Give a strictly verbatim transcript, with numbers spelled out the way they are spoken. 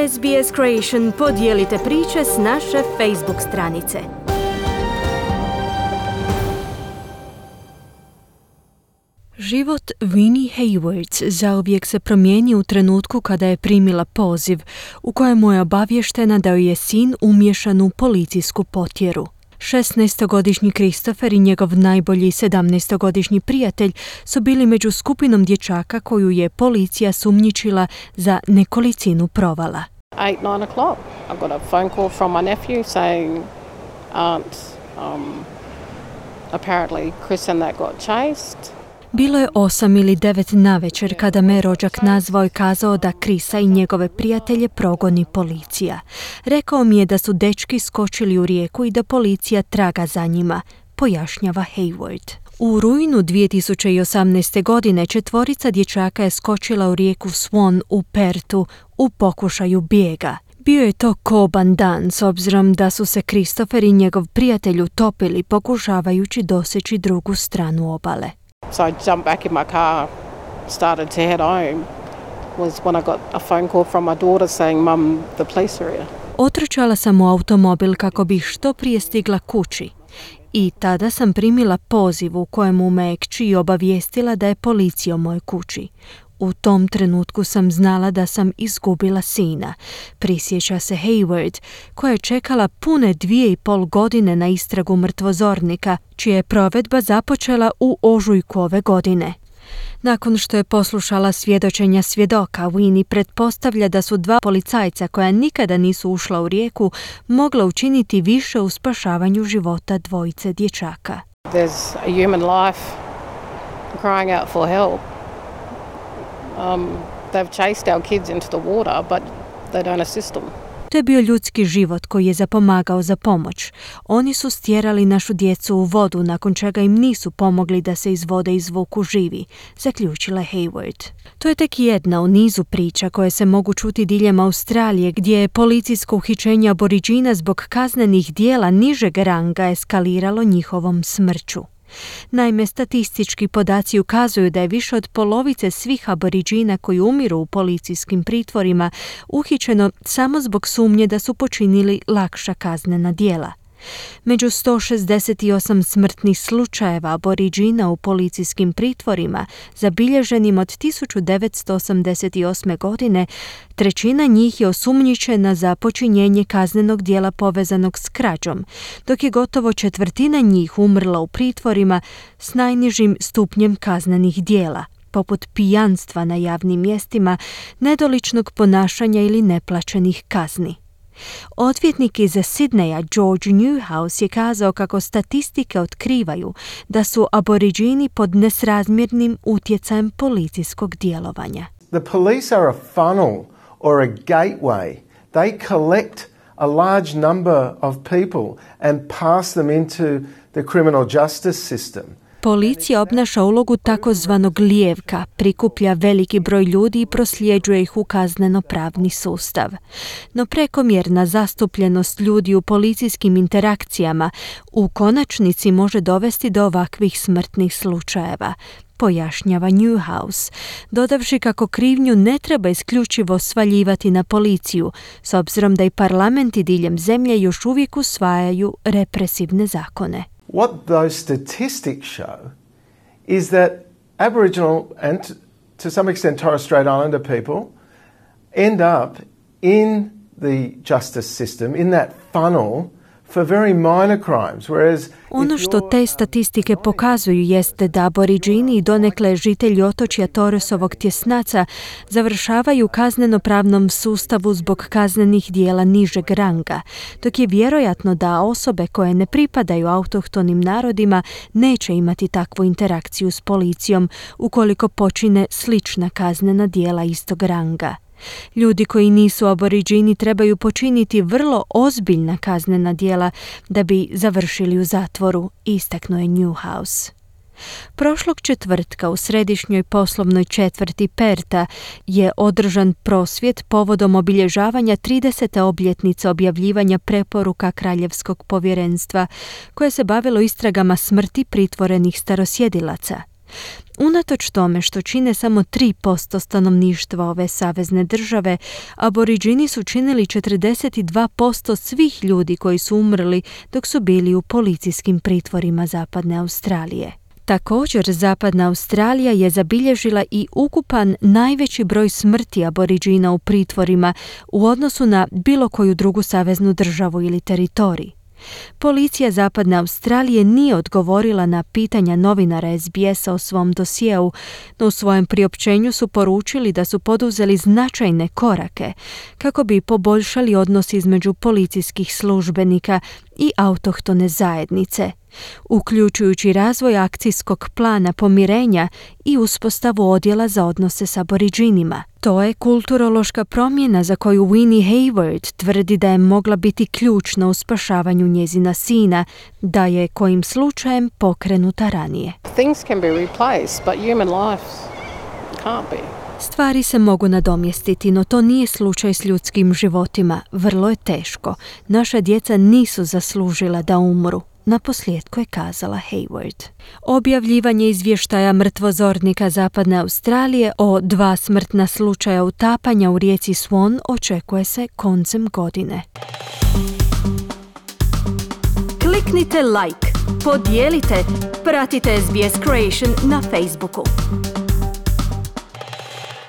S B S Creation podijelite priče s naše Facebook stranice. Život Winnie Hayworth zauvijek se promijenio u trenutku kada je primila poziv u kojemu je obavještena da joj je sin umiješan u policijsku potjeru. šesnaestogodišnji Christopher i njegov najbolji sedamnaestogodišnji prijatelj su bili među skupinom dječaka koju je policija sumnjičila za nekolicinu provala. eight, nine o'clock. I got a phone call from my nephew saying aunt, um, apparently Chris and that got chased. Bilo je osam ili devet navečer kada me rođak nazvao i kazao da Chrisa i njegove prijatelje progoni policija. Rekao mi je da su dečki skočili u rijeku i da policija traga za njima, pojašnjava Hayworth. U rujnu dvije tisuće osamnaeste. godine četvorica dječaka je skočila u rijeku Swan u Pertu u pokušaju bijega. Bio je to koban dan s obzirom da su se Christopher i njegov prijatelj utopili pokušavajući doseći drugu stranu obale. So I jumped back in my car, started to head home, was when I got a phone call from my daughter saying, Mum, the police are here. Otrčala sam u automobil kako bih što prije stigla kući. I tada sam primila poziv u kojemu me kći obavijestila da je policija u mojoj kući. U tom trenutku sam znala da sam izgubila sina, prisjeća se Hayworth, koja je čekala pune dvije i pol godine na istragu mrtvozornika, čija je provedba započela u ožujku ove godine. Nakon što je poslušala svjedočenja svjedoka, Winnie pretpostavlja da su dva policajca koja nikada nisu ušla u rijeku mogla učiniti više u spašavanju života dvojice dječaka. There's a human life crying out for help. Um, they've chased our kids into the water, but they don't assist them. To je bio ljudski život koji je zapomagao za pomoć. Oni su stjerali našu djecu u vodu, nakon čega im nisu pomogli da se iz vode izvuku živi, zaključila Hayworth. To je tek jedna u nizu priča koje se mogu čuti diljem Australije, gdje je policijsko uhićenje Aboriđina zbog kaznenih dijela nižeg ranga eskaliralo njihovom smrću. Naime, statistički podaci ukazuju da je više od polovice svih Aboriđina koji umiru u policijskim pritvorima uhićeno samo zbog sumnje da su počinili lakša kaznena djela. Među sto šezdeset osam smrtnih slučajeva Aboriđina u policijskim pritvorima, zabilježenim od tisuću devetsto osamdeset osme. godine, trećina njih je osumnjičena za počinjenje kaznenog djela povezanog s krađom, dok je gotovo četvrtina njih umrla u pritvorima s najnižim stupnjem kaznenih djela, poput pijanstva na javnim mjestima, nedoličnog ponašanja ili neplaćenih kazni. Odvjetnik iz Sidneja George Newhouse je kazao kako statistike otkrivaju da su Aboriđini pod nesrazmjernim utjecajem policijskog djelovanja. The police are a funnel or a gateway. They collect a large number of people and pass them into the criminal justice system. Policija obnaša ulogu takozvanog lijevka, prikuplja veliki broj ljudi i prosljeđuje ih u kazneno-pravni sustav. No prekomjerna zastupljenost ljudi u policijskim interakcijama u konačnici može dovesti do ovakvih smrtnih slučajeva, pojašnjava Newhouse, dodavši kako krivnju ne treba isključivo svaljivati na policiju, s obzirom da i parlamenti diljem zemlje još uvijek usvajaju represivne zakone. What those statistics show is that Aboriginal and to some extent Torres Strait Islander people end up in the justice system, in that funnel for very minor crimes, whereas ono što te statistike pokazuju jeste da Aboriđini i donekle žitelji otočja Torresovog tjesnaca završavaju u kazneno-pravnom sustavu zbog kaznenih dijela nižeg ranga, dok je vjerojatno da osobe koje ne pripadaju autohtonim narodima neće imati takvu interakciju s policijom ukoliko počine slična kaznena dijela istog ranga. Ljudi koji nisu Aboriđini trebaju počiniti vrlo ozbiljna kaznena djela da bi završili u zatvoru, istaknuo je Newhouse. Prošlog četvrtka u središnjoj poslovnoj četvrti Perta je održan prosvjed povodom obilježavanja tridesete obljetnice objavljivanja preporuka Kraljevskog povjerenstva koje se bavilo istragama smrti pritvorenih starosjedilaca. Unatoč tome što čine samo tri posto stanovništva ove savezne države, Aboriđini su činili četrdeset dva posto svih ljudi koji su umrli dok su bili u policijskim pritvorima Zapadne Australije. Također, Zapadna Australija je zabilježila i ukupan najveći broj smrti Aboriđina u pritvorima u odnosu na bilo koju drugu saveznu državu ili teritorij. Policija Zapadne Australije nije odgovorila na pitanja novinara es be esa o svom dosjeu, no u svojem priopćenju su poručili da su poduzeli značajne korake kako bi poboljšali odnos između policijskih službenika i autohtone zajednice, uključujući razvoj akcijskog plana pomirenja i uspostavu odjela za odnose s Aboriđinima. To je kulturološka promjena za koju Winnie Hayward tvrdi da je mogla biti ključna u spašavanju njezina sina, da je kojim slučajem pokrenuta ranije. Things can be replaced, but human life can't be. Stvari se mogu nadomjestiti, no to nije slučaj s ljudskim životima. Vrlo je teško. Naša djeca nisu zaslužila da umru. Naposljetku je kazala Hayward. Objavljivanje izvještaja mrtvozornika Zapadne Australije o dva smrtna slučaja utapanja u rijeci Swan očekuje se koncem godine. Kliknite like, podijelite, pratite es be es Creation na Facebooku.